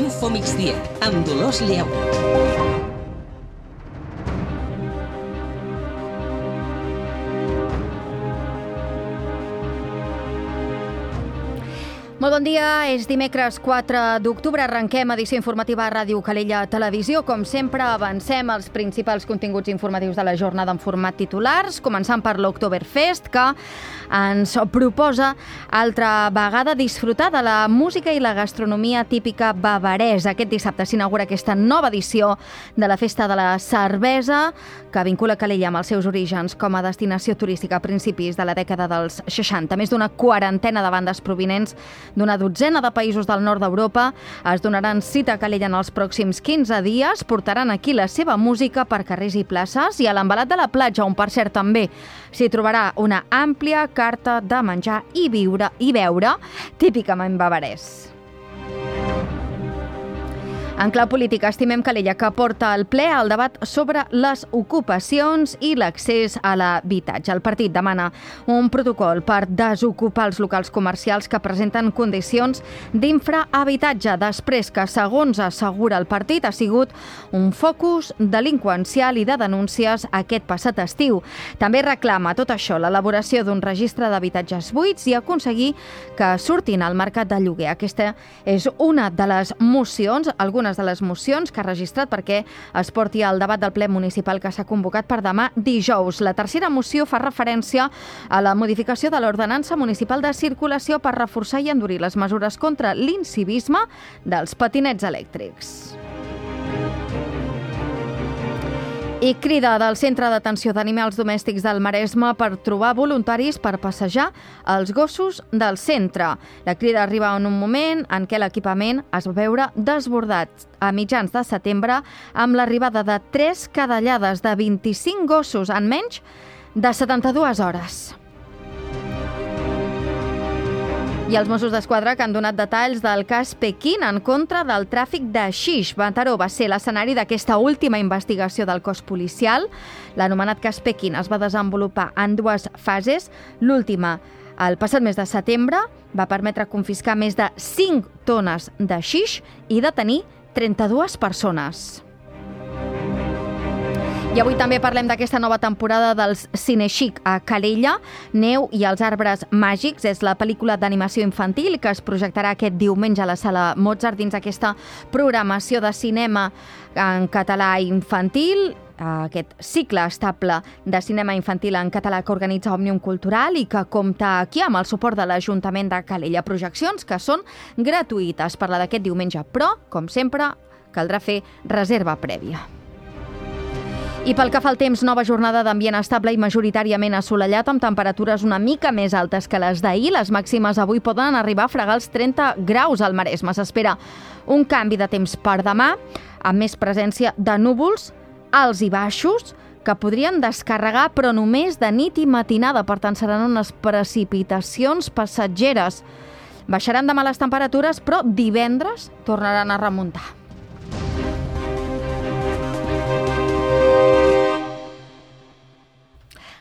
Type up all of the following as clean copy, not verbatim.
Info Migdia, amb Dolors Lleó. Molt bon dia, és dimecres 4 d'octubre, arrenquem edició informativa a Ràdio Calella Televisió. Com sempre, avancem els principals continguts informatius de la jornada en format titulars, començant per l'Oktoberfest, que ens proposa altra vegada disfrutar de la música i la gastronomia típica bavaresa. Aquest dissabte s'inaugura aquesta nova edició de la Festa de la Cervesa, que vincula Calella amb els seus orígens com a destinació turística a principis de la dècada dels 60. Més d'una quarantena de bandes provinents d'una dotzena de països del nord d'Europa es donaran cita a Calella en els pròxims 15 dies, portaran aquí la seva música per carrers i places i a l'embalat de la platja, on per cert també s'hi trobarà una àmplia carta de menjar i beure típicament bavarès. En clau política, estimem Calella, que porta al ple el debat sobre les ocupacions i l'accés a l'habitatge. El partit demana un protocol per desocupar els locals comercials que presenten condicions d'infrahabitatge, després que, segons assegura el partit, ha sigut un focus delinqüencial i de denúncies aquest passat estiu. També reclama tot això l'elaboració d'un registre d'habitatges buits i aconseguir que surtin al mercat de lloguer. Aquesta és una de les mocions, algunes de les mocions que ha registrat perquè es porti al debat del ple municipal que s'ha convocat per demà dijous. La tercera moció fa referència a la modificació de l'ordenança municipal de circulació per reforçar i endurir les mesures contra l'incivisme dels patinets elèctrics. I crida del Centre d'Atenció d'Animals Domèstics del Maresme per trobar voluntaris per passejar els gossos del centre. La crida arriba en un moment en què l'equipament es va veure desbordat a mitjans de setembre amb l'arribada de 3 cadellades de 25 gossos en menys de 72 hores. I els Mossos d'Esquadra que han donat detalls del cas Pequín en contra del tràfic de xix. Mataró va ser l'escenari d'aquesta última investigació del cos policial. L'anomenat cas Pequín es va desenvolupar en 2 fases. L'última, el passat mes de setembre, va permetre confiscar més de 5 tones de xix i detenir 32 persones. I avui també parlem d'aquesta nova temporada dels Cinechic a Calella. Neu i els arbres màgics és la pel·lícula d'animació infantil que es projectarà aquest diumenge a la Sala Mozart dins aquesta programació de cinema en català infantil, aquest cicle estable de cinema infantil en català que organitza Òmnium Cultural i que compta aquí amb el suport de l'Ajuntament de Calella. Projeccions que són gratuïtes per la d'aquest diumenge, però, com sempre, caldrà fer reserva prèvia. I pel que fa al temps, nova jornada d'ambient estable i majoritàriament assolellat amb temperatures una mica més altes que les d'ahir. Les màximes avui poden arribar a fregar els 30 graus al Maresme. S'espera un canvi de temps per demà, amb més presència de núvols alts i baixos que podrien descarregar, però només de nit i matinada. Per tant, seran unes precipitacions passatgeres. Baixaran demà les temperatures, però divendres tornaran a remuntar.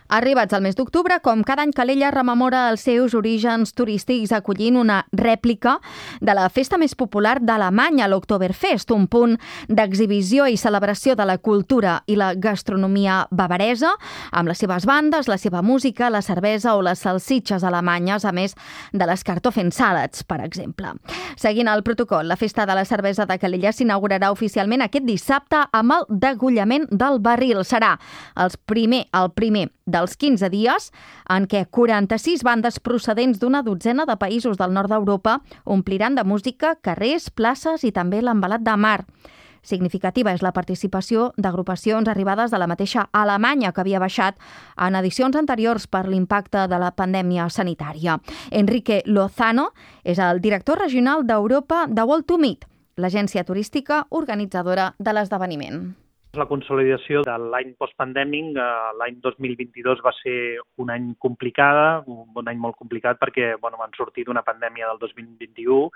Arribats al mes d'octubre, com cada any Calella rememora els seus orígens turístics acollint una rèplica de la festa més popular d'Alemanya, l'Oktoberfest, un punt d'exhibició i celebració de la cultura i la gastronomia bavaresa, amb les seves bandes, la seva música, la cervesa o les salsitxes alemanyes, a més de les Kartoffelsalat, per exemple. Seguint el protocol, la festa de la cervesa de Calella s'inaugurarà oficialment aquest dissabte amb el degollament del barril. Serà el primer dels 15 dies en què 46 bandes procedents d'una dotzena de països del nord d'Europa ompliran de música carrers, places i també l'embalat de mar. Significativa és la participació d'agrupacions arribades de la mateixa Alemanya, que havia baixat en edicions anteriors per l'impacte de la pandèmia sanitària. Enrique Lozano és el director regional d'Europa de World to Meet, l'agència turística organitzadora de l'esdeveniment. La consolidació de l'any postpandèmic, l'any 2022 va ser un any un any molt complicat perquè van sortir d'una pandèmia del 2021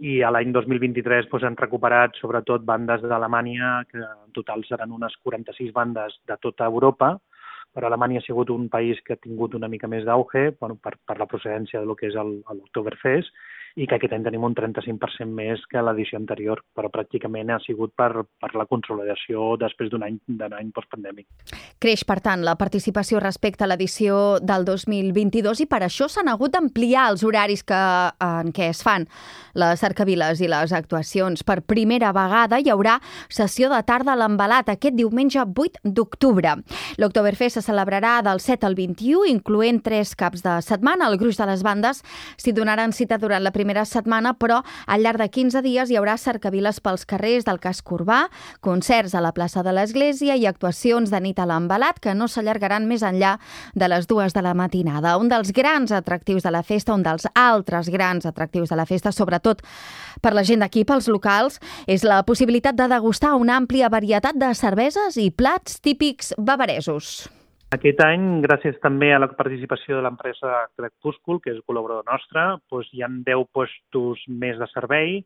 i a l'any 2023 han recuperat sobretot bandes d'Alemanya, que en total seran unes 46 bandes de tota Europa, però Alemanya ha sigut un país que ha tingut una mica més d'auge per la procedència del que és l'Oktoberfest, i que aquest any tenim un 35% més que l'edició anterior, però pràcticament ha sigut per la consolidació després d'un any postpandèmic. Creix, per tant, la participació respecte a l'edició del 2022 i per això s'han hagut d'ampliar els horaris en què es fan les cercaviles i les actuacions. Per primera vegada hi haurà sessió de tarda a l'Envelat aquest diumenge 8 d'octubre. L'Oktoberfest se celebrarà del 7 al 21, incloent 3 caps de setmana. El gruix de les bandes s'hi donaran cita durant la primera setmana, però al llarg de 15 dies hi haurà cercaviles pels carrers del casc urbà, concerts a la plaça de l'Església i actuacions de nit a l'Envelat que no s'allargaran més enllà de les 2 de la matinada. Un dels grans atractius de la festa, un dels altres grans atractius de la festa, sobretot per la gent d'aquí, pels locals, és la possibilitat de degustar una àmplia varietat de cerveses i plats típics bavaresos. Aquest any, gràcies també a la participació de l'empresa Crepúscul, que és col·laborador nostre, hi ha 10 puestos més de servei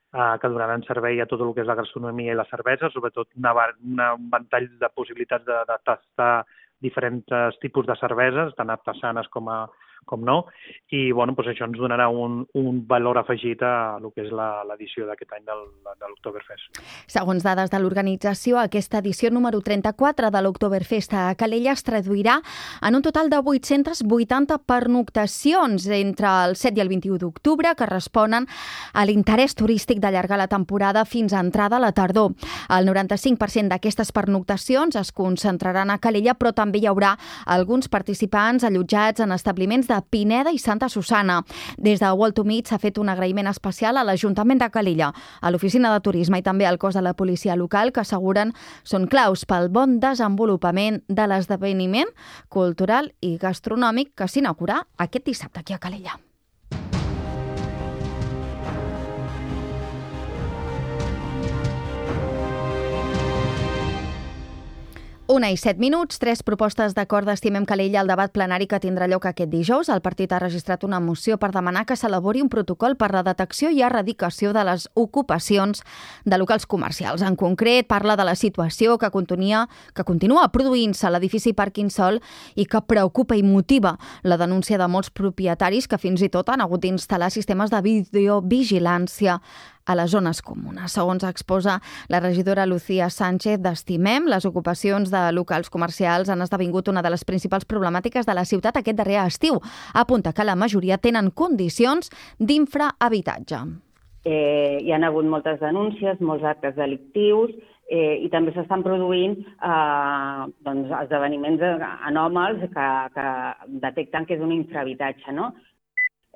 que donaran servei a tot el que és la gastronomia i la cervesa, sobretot un ventall de possibilitats de tastar diferents tipus de cerveses, tant artesanes com no, i això ens donarà un valor afegit a el que és l'edició d'aquest any de l'Oktoberfest. Segons dades de l'organització, aquesta edició número 34 de l'Oktoberfest a Calella es traduirà en un total de 880 pernoctacions entre el 7 i el 21 d'octubre, que responen a l'interès turístic d'allargar la temporada fins a entrada a la tardor. El 95% d'aquestes pernoctacions es concentraran a Calella, però també hi haurà alguns participants allotjats en establiments de Pineda i Santa Susana. Des de World to Meet s'ha fet un agraïment especial a l'Ajuntament de Calella, a l'Oficina de Turisme i també al cos de la policia local, que asseguren són claus pel bon desenvolupament de l'esdeveniment cultural i gastronòmic que s'inaugurarà aquest dissabte aquí a Calella. 1:07, 3 propostes d'acord d'Estimem Calella al debat plenari que tindrà lloc aquest dijous. El partit ha registrat una moció per demanar que s'elabori un protocol per la detecció i erradicació de les ocupacions de locals comercials. En concret, parla de la situació que continua produint-se a l'edifici Parquinsol i que preocupa i motiva la denúncia de molts propietaris que fins i tot han hagut d'instal·lar sistemes de videovigilància a les zones comunes. Segons exposa la regidora Lucía Sánchez d'Estimem, les ocupacions de locals comercials han esdevingut una de les principals problemàtiques de la ciutat aquest darrer estiu. Apunta que la majoria tenen condicions d'infrahabitatge. Hi ha hagut moltes denúncies, molts actes delictius i també s'estan produint esdeveniments anòmals que detecten que és un infrahabitatge, no?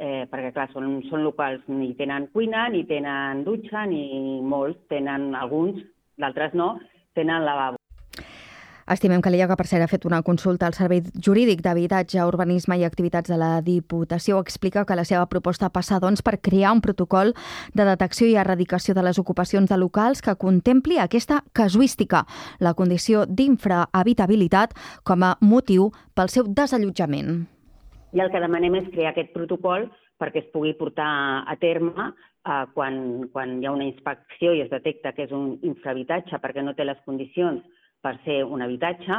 Perquè, clar, són locals, ni tenen cuina, ni tenen dutxa, ni molts tenen, alguns, d'altres no, tenen lavabo. Estimem Calella, que per cert ha fet una consulta al Servei Jurídic d'Habitatge, Urbanisme i Activitats de la Diputació, explica que la seva proposta passa, doncs, per crear un protocol de detecció i erradicació de les ocupacions de locals que contempli aquesta casuística, la condició d'infrahabitabilitat com a motiu pel seu desallotjament. I el que demanem és crear aquest protocol perquè es pugui portar a terme quan hi ha una inspecció i es detecta que és un infrahabitatge perquè no té les condicions per ser un habitatge,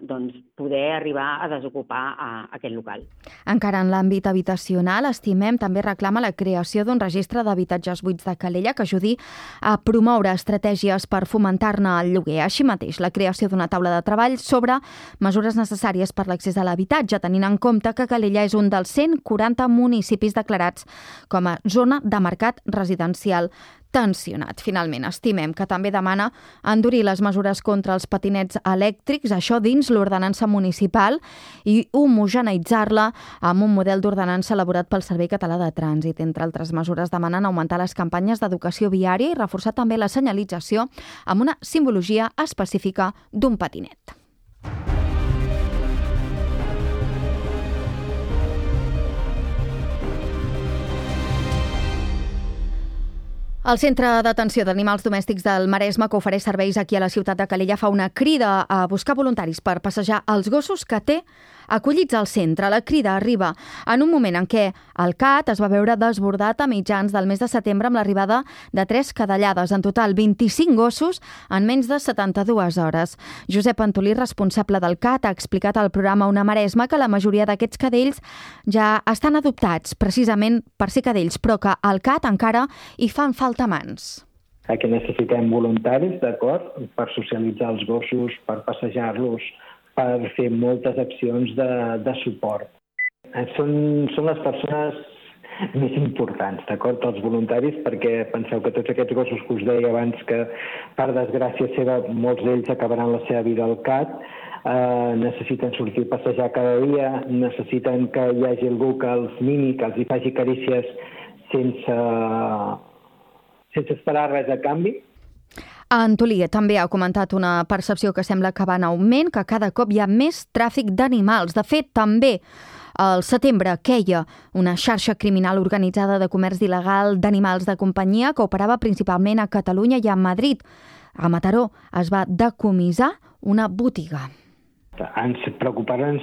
doncs poder arribar a desocupar aquest local. Encara en l'àmbit habitacional, Estimem també reclama la creació d'un registre d'habitatges buits de Calella que ajudi a promoure estratègies per fomentar-ne el lloguer. Així mateix, la creació d'una taula de treball sobre mesures necessàries per l'accés a l'habitatge, tenint en compte que Calella és un dels 140 municipis declarats com a zona de mercat residencial tensionat. Finalment, Estimem que també demana endurir les mesures contra els patinets elèctrics, això dins l'ordenança municipal, i homogeneïtzar-la amb un model d'ordenança elaborat pel Servei Català de Trànsit. Entre altres mesures, demanen augmentar les campanyes d'educació viària i reforçar també la senyalització amb una simbologia específica d'un patinet. El Centre d'Atenció d'Animals Domèstics del Maresme, que ofereix serveis aquí a la ciutat de Calella, fa una crida a buscar voluntaris per passejar els gossos que té acollits al centre. La crida arriba en un moment en què el CAT es va veure desbordat a mitjans del mes de setembre amb l'arribada de 3 cadellades. En total, 25 gossos en menys de 72 hores. Josep Antolí, responsable del CAT, ha explicat al programa Una Maresma que la majoria d'aquests cadells ja estan adoptats, precisament per ser cadells, però que al CAT encara hi fan falta mans. Que necessitem voluntaris, d'acord, per socialitzar els gossos, per passejar-los, per fer moltes accions de suport. Són les persones més importants, d'acord, els voluntaris, perquè penseu que tots aquests gossos que us deia abans que, per desgràcia seva, molts d'ells acabaran la seva vida al CAT, necessiten sortir a passejar cada dia, necessiten que hi hagi algú que els mimi, que els hi faci carícies sense esperar res a canvi. Antolí també ha comentat una percepció que sembla que va en augment, que cada cop hi ha més tràfic d'animals. De fet, també al setembre queia una xarxa criminal organitzada de comerç il·legal d'animals de companyia que operava principalment a Catalunya i a Madrid. A Mataró es va decomissar una botiga. Ens preocupen,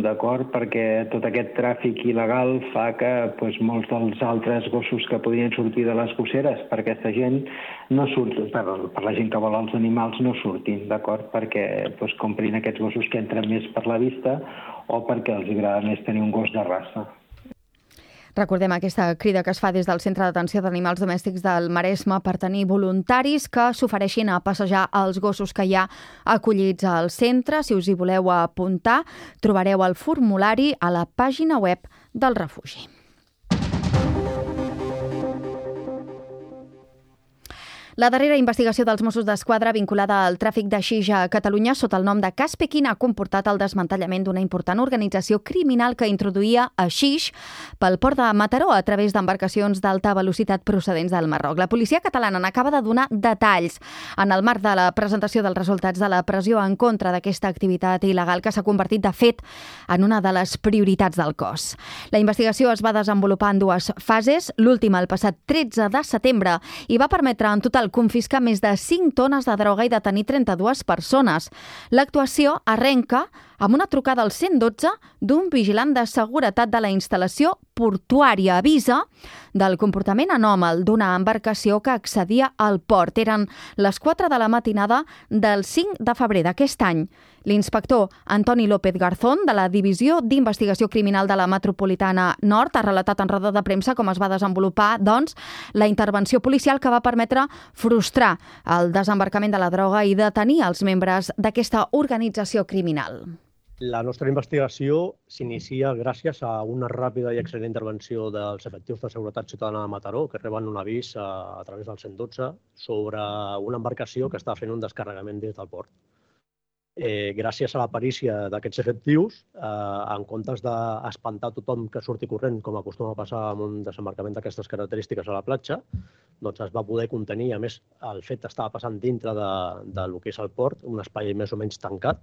d'acord, perquè tot aquest tràfic il·legal fa que molts dels altres gossos que podrien sortir de les gosseres per aquesta gent no surtin, per la gent que vol els animals no surtin, d'acord, perquè comprin aquests gossos que entren més per la vista o perquè els agrada més tenir un gos de raça. Recordem aquesta crida que es fa des del Centre d'Atenció d'Animals Domèstics del Maresme per tenir voluntaris que s'ofereixin a passejar els gossos que hi ha acollits al centre. Si us hi voleu apuntar, trobareu el formulari a la pàgina web del refugi. La darrera investigació dels Mossos d'Esquadra vinculada al tràfic de xix a Catalunya sota el nom de Cas Pequín ha comportat el desmantellament d'una important organització criminal que introduïa a xix pel port de Mataró a través d'embarcacions d'alta velocitat procedents del Marroc. La policia catalana n'acaba de donar detalls en el marc de la presentació dels resultats de la pressió en contra d'aquesta activitat il·legal que s'ha convertit, de fet, en una de les prioritats del cos. La investigació es va desenvolupar en 2 fases, l'última el passat 13 de setembre i va permetre en total confiscar més de 5 tones de droga i detenir 32 persones. L'actuació arrenca amb una trucada al 112 d'un vigilant de seguretat de la instal·lació portuària. Avisa del comportament anòmal d'una embarcació que accedia al port. Eren les 4 de la matinada del 5 de febrer d'aquest any. L'inspector Antoni López Garzón, de la Divisió d'Investigació Criminal de la Metropolitana Nord, ha relatat en roda de premsa com es va desenvolupar, la intervenció policial que va permetre frustrar el desembarcament de la droga i detenir els membres d'aquesta organització criminal. La nostra investigació s'inicia gràcies a una ràpida i excel·lent intervenció dels efectius de seguretat ciutadana de Mataró, que reben un avís a través del 112 sobre una embarcació que està fent un descarregament des del port. Gràcies a la perícia d'aquests efectius, en comptes d'espantar tothom que surti corrent, com acostuma a passar amb un desembarcament d'aquestes característiques a la platja, doncs es va poder contenir. A més, el fet estava passant dintre del que és el port, un espai més o menys tancat,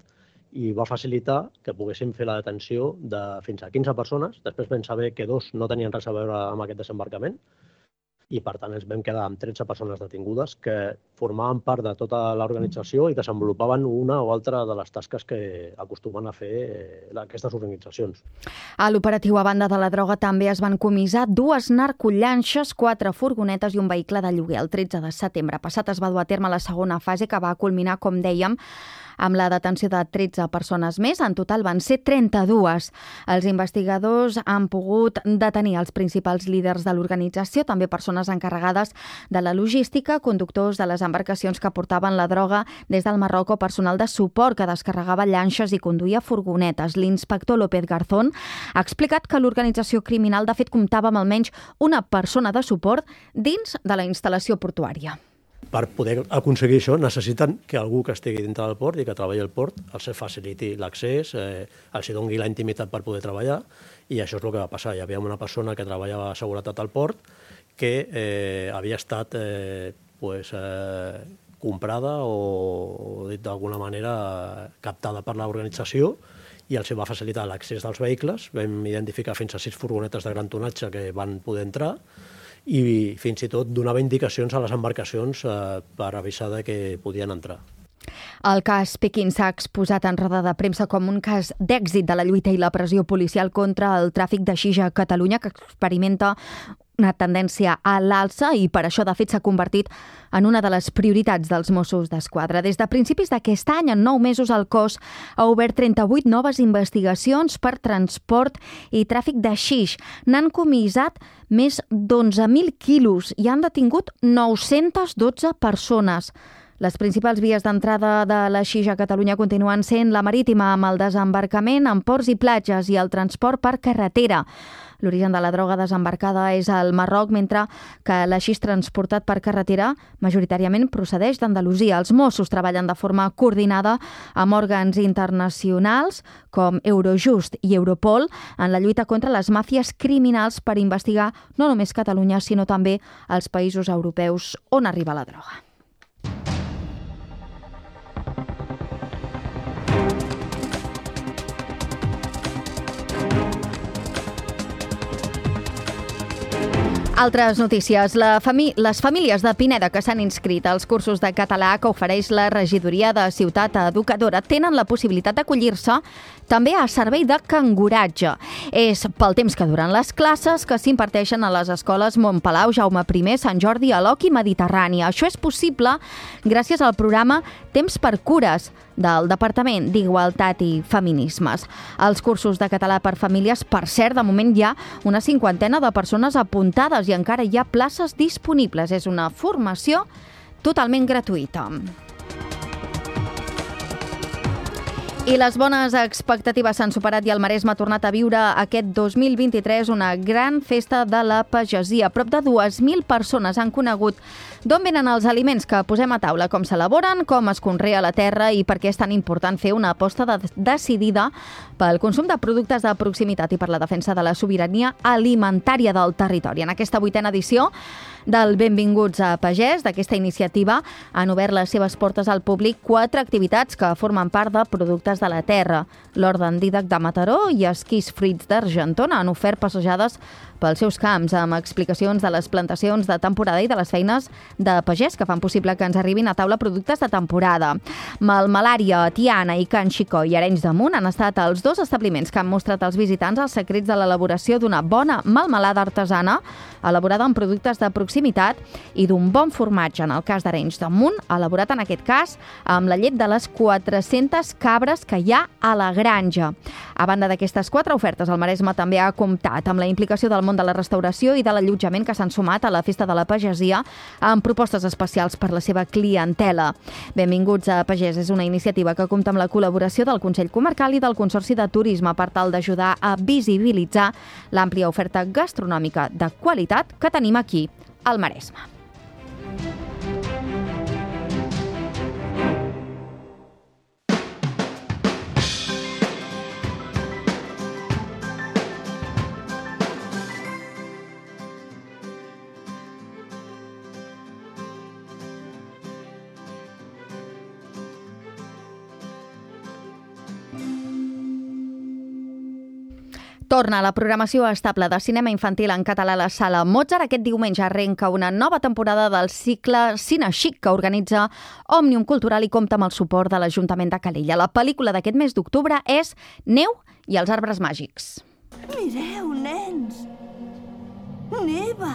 i va facilitar que poguéssim fer la detenció de fins a 15 persones. Després vam saber que 2 no tenien res a veure amb aquest desembarcament i, per tant, ens vam quedar amb 13 persones detingudes que formaven part de tota l'organització i desenvolupaven una o altra de les tasques que acostumen a fer aquestes organitzacions. A l'operatiu a banda de la droga també es van comissar 2 narcollanxes, 4 furgonetes i un vehicle de lloguer. El 13 de setembre passat es va dur a terme la segona fase que va culminar, com dèiem, amb la detenció de 13 persones més. En total van ser 32. Els investigadors han pogut detenir els principals líders de l'organització, també persones encarregades de la logística, conductors de les embarcacions que portaven la droga des del Marroc o personal de suport que descarregava llanxes i conduïa furgonetes. L'inspector López Garzón ha explicat que l'organització criminal de fet comptava amb almenys una persona de suport dins de la instal·lació portuària. Per poder aconseguir això necessiten que algú que estigui dintre del port i que treballi al port els faciliti l'accés, els doni la intimitat per poder treballar, i això és el que va passar. Hi havia una persona que treballava a seguretat al port que havia estat comprada o dit d'alguna manera captada per l'organització i els va facilitar l'accés dels vehicles. Vam identificar fins a 6 furgonetes de gran tonatge que van poder entrar i fins i tot donava indicacions a les embarcacions per avisar de que podien entrar. El cas Pequín s'ha exposat en roda de premsa com un cas d'èxit de la lluita i la pressió policial contra el tràfic de xix a Catalunya, que experimenta una tendència a l'alça i per això, de fet, s'ha convertit en una de les prioritats dels Mossos d'Esquadra. Des de principis d'aquest any, en 9 mesos, el cos ha obert 38 noves investigacions per transport i tràfic de xix. N'han comissat més d'11.000 quilos i han detingut 912 persones. Les principals vies d'entrada de la xix a Catalunya continuen sent la marítima, amb el desembarcament en ports i platges i el transport per carretera. L'origen de la droga desembarcada és al Marroc, mentre que l'haixix transportat per carretera majoritàriament procedeix d'Andalusia. Els Mossos treballen de forma coordinada amb òrgans internacionals com Eurojust i Europol en la lluita contra les màfies criminals per investigar no només Catalunya, sinó també els països europeus on arriba la droga. Altres notícies. Les famílies de Pineda que s'han inscrit als cursos de català que ofereix la regidoria de Ciutat Educadora tenen la possibilitat d'acollir-se també a servei de canguratge. És pel temps que duren les classes que s'imparteixen a les escoles Montpalau, Jaume I, Sant Jordi, Aloc i Mediterrània. Això és possible gràcies al programa Temps per Cures del Departament d'Igualtat i Feminismes. Els cursos de català per famílies, per cert, de moment hi ha una 50ena de persones apuntades i encara hi ha places disponibles. És una formació totalment gratuïta. I les bones expectatives s'han superat i el Maresme ha tornat a viure aquest 2023 una gran festa de la pagesia. Prop de 2.000 persones han conegut d'on venen els aliments que posem a taula, com s'elaboren, com es conrea la terra i per què és tan important fer una aposta decidida pel consum de productes de proximitat i per la defensa de la sobirania alimentària del territori. En aquesta 8a edició del Benvinguts a Pagès, d'aquesta iniciativa, han obert les seves portes al públic 4 activitats que formen part de productes de la terra. L'Hort d'en Dídac de Mataró i Esquís Fruits d'Argentona han ofert passejades pels seus camps amb explicacions de les plantacions de temporada i de les feines de pagès que fan possible que ens arribin a taula productes de temporada. Malmelària, Tiana i Can Xicó i Arenys de Munt han estat els 2 establiments que han mostrat als visitants els secrets de l'elaboració d'una bona melmelada artesana elaborada amb productes de proximitat i d'un bon formatge, en el cas d'Arenys de Munt, elaborat en aquest cas amb la llet de les 400 cabres que hi ha a la granja. A banda d'aquestes 4 ofertes, el Maresme també ha comptat amb la implicació del món de la restauració i de l'allotjament que s'han sumat a la Festa de la Pagesia amb propostes especials per la seva clientela. Benvinguts a Pagès és una iniciativa que compta amb la col·laboració del Consell Comarcal i del Consorci de Turisme per tal d'ajudar a visibilitzar l'àmplia oferta gastronòmica de qualitat que tenim aquí al Maresme. Torna la programació estable de cinema infantil en català a la Sala Mozart. Aquest diumenge arrenca una nova temporada del cicle Cine Xic que organitza Òmnium Cultural i compta amb el suport de l'Ajuntament de Calella. La pel·lícula d'aquest mes d'octubre és Neu i els arbres màgics. Mireu, nens! Neva!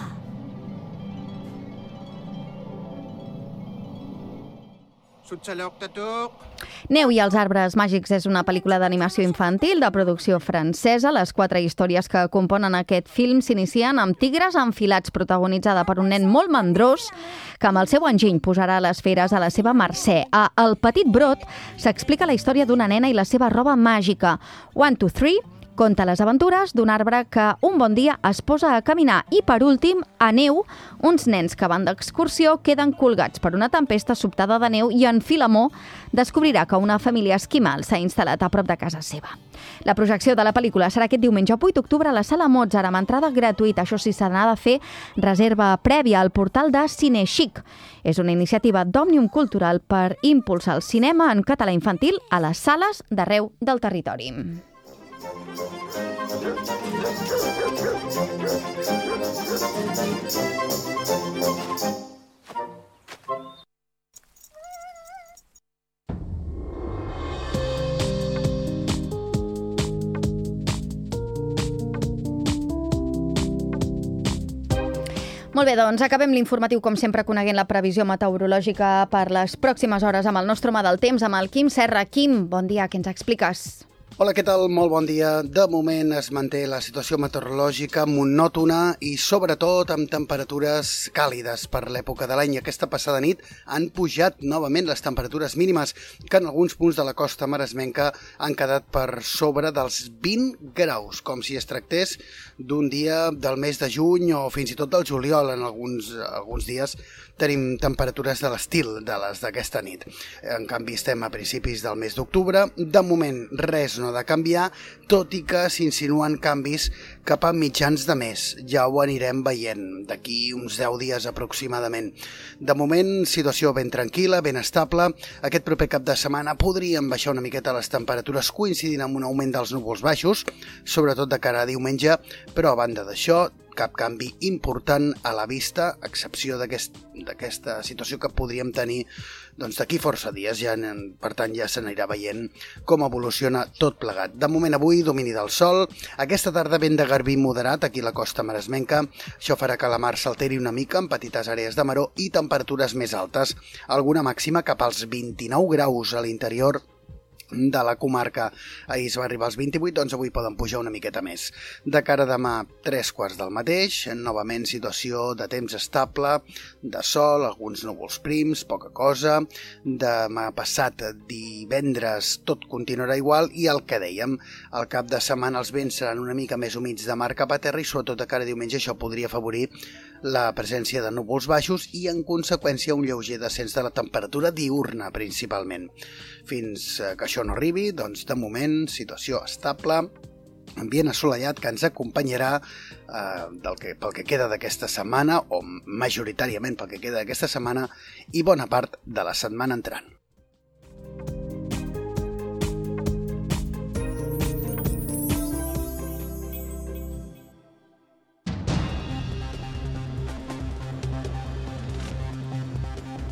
Neu i els arbres màgics és una pel·lícula d'animació infantil de producció francesa. Les 4 històries que componen aquest film s'inicien amb Tigres enfilats, protagonitzada per un nen molt mandrós que amb el seu enginy posarà les feres a la seva mercè. A El petit brot s'explica la història d'una nena i la seva roba màgica. 1, 2, 3 conta les aventures d'un arbre que un bon dia es posa a caminar. I per últim, a Neu, uns nens que van d'excursió queden colgats per una tempesta sobtada de neu i en Filemó descobrirà que una família esquimal s'ha instal·lat a prop de casa seva. La projecció de la pel·lícula serà aquest diumenge 8 d'octubre a la Sala Mozart amb entrada gratuïta. Això sí, s'ha de fer reserva prèvia al portal de Cine Xic. És una iniciativa d'Òmnium Cultural per impulsar el cinema en català infantil a les sales d'arreu del territori. Molt bé, doncs acabem l'informatiu, com sempre, coneguent la previsió meteorològica per les pròximes hores amb el nostre home del temps, amb el Quim Serra. Quim, bon dia, què ens expliques? Hola, què tal? Molt bon dia. De moment es manté la situació meteorològica monòtona i sobretot amb temperatures càlides per l'època de l'any. Aquesta passada nit han pujat novament les temperatures mínimes que en alguns punts de la costa maresmenca han quedat per sobre dels 20 graus, com si es tractés d'un dia del mes de juny o fins i tot del juliol. En alguns dies tenim temperatures de l'estil de les d'aquesta nit. En canvi, estem a principis del mes d'octubre. De moment, res no ha de canviar, tot i que s'insinuen canvis cap a mitjans de mes. Ja ho anirem veient d'aquí uns 10 dies aproximadament. De moment, situació ben tranquil·la, ben estable. Aquest proper cap de setmana podríem baixar una miqueta les temperatures coincidint amb un augment dels núvols baixos, sobretot de cara a diumenge, però a banda d'això, cap canvi important a la vista, a excepció d'aquesta situació que podríem tenir d'aquí força dies. Per tant, ja se n'anirà veient com evoluciona tot plegat. De moment, avui, domini del sol. Aquesta tarda, vent de garbí moderat aquí a la costa maresmenca. Això farà que la mar s'alteri una mica en petites àrees de maror i temperatures més altes. Alguna màxima cap als 29 graus a l'interior de la comarca. Ahir es va arribar als 28, doncs avui poden pujar una miqueta més. De cara a demà, 3:15 del mateix, novament situació de temps estable, de sol, alguns núvols prims, poca cosa. Demà passat, divendres, tot continuarà igual i el que dèiem, al cap de setmana els vents seran una mica més humits de mar cap a terra i sobretot de cara a diumenge això podria afavorir la presència de núvols baixos i, en conseqüència, un lleuger descens de la temperatura diurna, principalment. Fins que això no arribi, doncs, de moment, situació estable, ambient assolellat que ens acompanyarà pel que queda d'aquesta setmana, o majoritàriament pel que queda d'aquesta setmana, i bona part de la setmana entrant.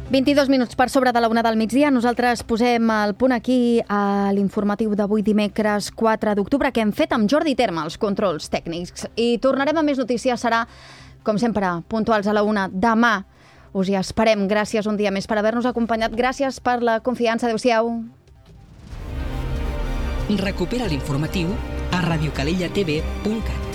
$22 per sobre de la 1 del migdia. Nosaltres posem el punt aquí a l'informatiu d'avui dimecres 4 d'octubre que hem fet amb Jordi Terma, els controls tècnics. I tornarem a més notícies, serà, com sempre, puntuals a la 1. Demà us hi esperem. Gràcies un dia més per haver-nos acompanyat. Gràcies per la confiança. Adéu-siau. Recupera l'informatiu a radiocalellatv.cat.